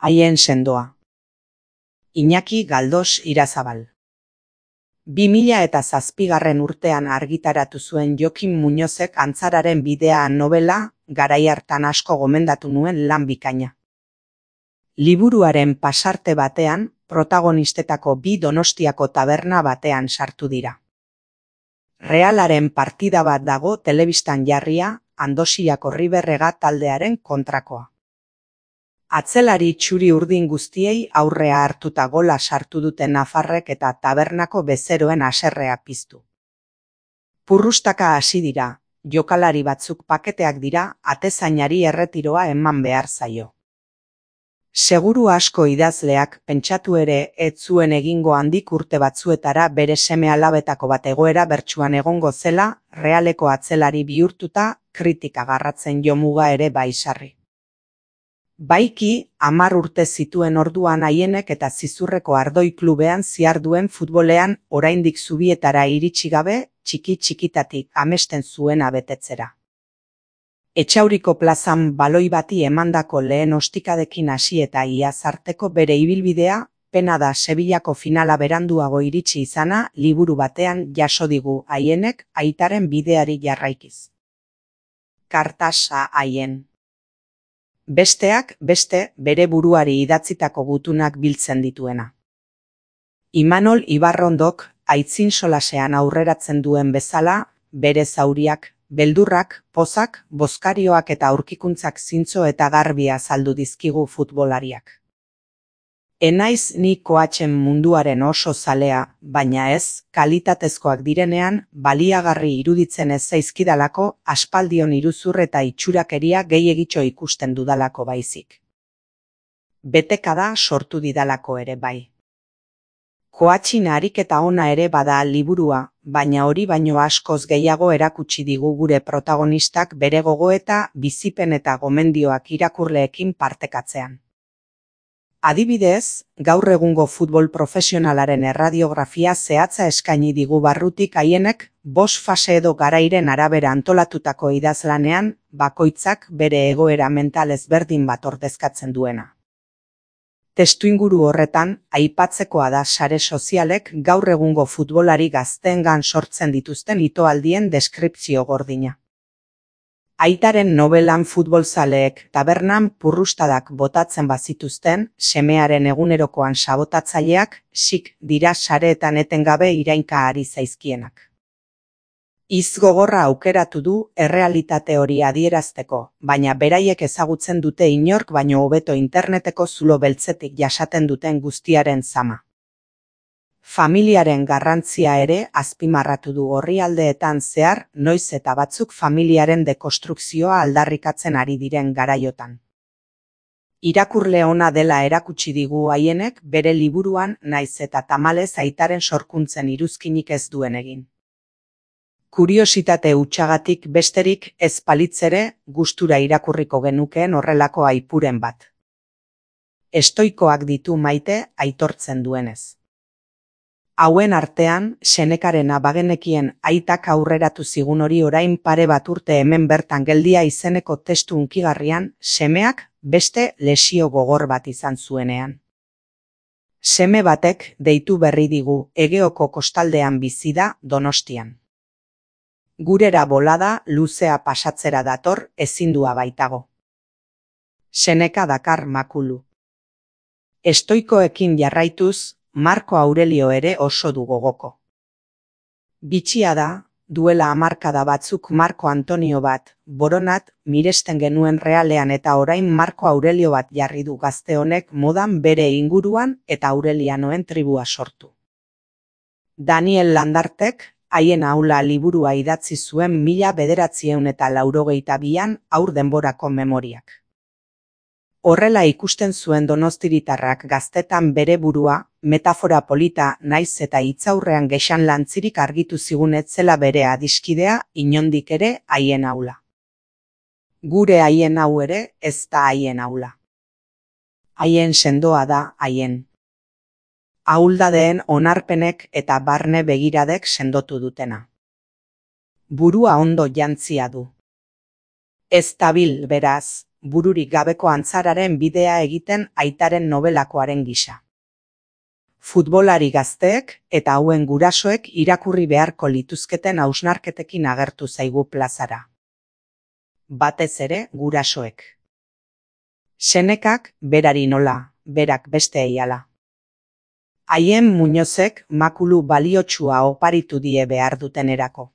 Haien sendoa. Iñaki Galdos Irazabal. 2007 urtean argitaratu zuen Jokin Muñozek Antzararen bidea novela, garai hartan asko gomendatu nuen lan bikaina. Liburuaren pasarte batean, protagonistetako bi Donostiako taberna batean sartu dira. Realaren partida bat dago telebistan jarria, Andosiako Riberrega taldearen kontrakoa. Atzelari txuri urdin guztiei aurrea hartuta gola sartu duten nafarrek eta tabernako bezeroen haserrea piztu. Purrustaka hasi dira, jokalari batzuk paketeak dira, atezainari erretiroa eman behar zaio. Seguru asko idazleak pentsatu ere ez zuen egingo handik urte batzuetara bere seme-alabetako bat egoera bertsuan egongo zela, Realeko atzelari bihurtuta, kritika garratzen jomuga ere baisarri. Baiki, 10 urte zituen orduan Haienek eta Zizurreko Ardoi klubean ziharduen futbolean oraindik zubietara iritsi gabe, txiki-txikitatik amesten zuena betetzera. Etxauriko plazan baloi bati emandako lehen ostikadekin hasi eta iaz arteko bere ibilbidea, pena da Sevillako finala beranduago iritsi izana liburu batean jaso digu Haienek aitaren bideari jarraikiz. Kartasa Haien. Besteak beste bere buruari idatzitako gutunak biltzen dituena. Imanol Ibarrondok aitzin solasean aurreratzen duen bezala, bere zauriak, beldurrak, pozak, bozkarioak eta aurkikuntzak zintzo eta garbi azaldu dizkigu futbolariak. Enaiz ni koatzen munduaren oso zalea, baina ez, kalitatezkoak direnean, baliagarri iruditzen ez zaizkidalako, aspaldion iruzur eta itxurakeria gehiegitxo ikusten dudalako baizik. Betekada sortu didalako ere bai. Koatxin ariketa ona ere bada liburua, baina hori baino askoz gehiago erakutsi digu gure protagonistak bere gogoeta, bizipen eta gomendioak irakurleekin partekatzean. Adibidez, gaur egungo futbol profesionalaren erradiografia zehatza eskaini digu barrutik Haienek, 5 fase edo garairen arabera antolatutako idazlanean, bakoitzak bere egoera mental ezberdin bat ordezkatzen duena. Testuinguru horretan, aipatzekoa da sare sozialek gaur egungo futbolari gazteengan sortzen dituzten itoaldien deskripzio gordina. Aitaren nobelan futbolzaleek tabernan purrustadak botatzen bazituzten, semearen egunerokoan sabotatzaileak, sik dira sareetan etengabe irainka ari zaizkienak. Hitz gogorra aukeratu du errealitate hori adierazteko, baina beraiek ezagutzen dute inork baino hobeto interneteko zulo beltzetik jasaten duten guztiaren zama. Familiaren garrantzia ere azpimarratu du orrialdeetan zehar, noiz eta batzuk familiaren dekonstrukzioa aldarrikatzen ari diren garaiotan. Irakurle ona dela erakutsi digu Haienek bere liburuan naiz eta tamalez aitaren sorkuntzen iruzkinik ez duen egin. Kuriositate hutsagatik besterik ez palitzere gustura irakurriko genukeen horrelako aipuren bat. Estoikoak ditu maite aitortzen duenez. Hauen artean, Senekarena bagenekien aitak aurreratu zigun hori orain pare bat urte hemen bertan geldia izeneko testu hunkigarrian, semeak beste lesio gogor bat izan zuenean. Seme batek deitu berri digu Egeoko kostaldean bizi da Donostian. Gurera bolada luzea pasatzera dator ezindua baitago. Seneka dakar makulu. Estoikoekin jarraituz, Marko Aurelio ere oso du gogoko. Bitxia da, duela hamarkada batzuk Marko Antonio bat, boronat, miresten genuen Realean eta orain Marko Aurelio bat jarri du gazte honek modan bere inguruan eta Aurelianoen tribua sortu. Daniel Landartek, Haien aula liburua idatzi zuen 1982an haur denborako memoriak. Horrela ikusten zuen donostiritarrak gaztetan bere burua, metafora polita naiz eta hitzaurrean gexan lantzirik argitu zigun ez zela bere adiskidea inondik ere Haien aula. Gure Haien hau ere ez da Haien aula. Haien sendoa da Haien. Ahuldadeen onarpenek eta barne begiradek sendotu dutena. Burua ondo jantzia du. Ez dabil beraz, bururik gabeko antzararen bidea egiten aitaren nobelakoaren gisa. Futbolari gazteek eta hauen gurasoek irakurri beharko lituzketen hausnarketekin agertu zaigu plazara. Batez ere gurasoek. Senekak berari nola, berak besteei hala. Haien Muñozek makulu baliotsua oparitu die behar dutenerako.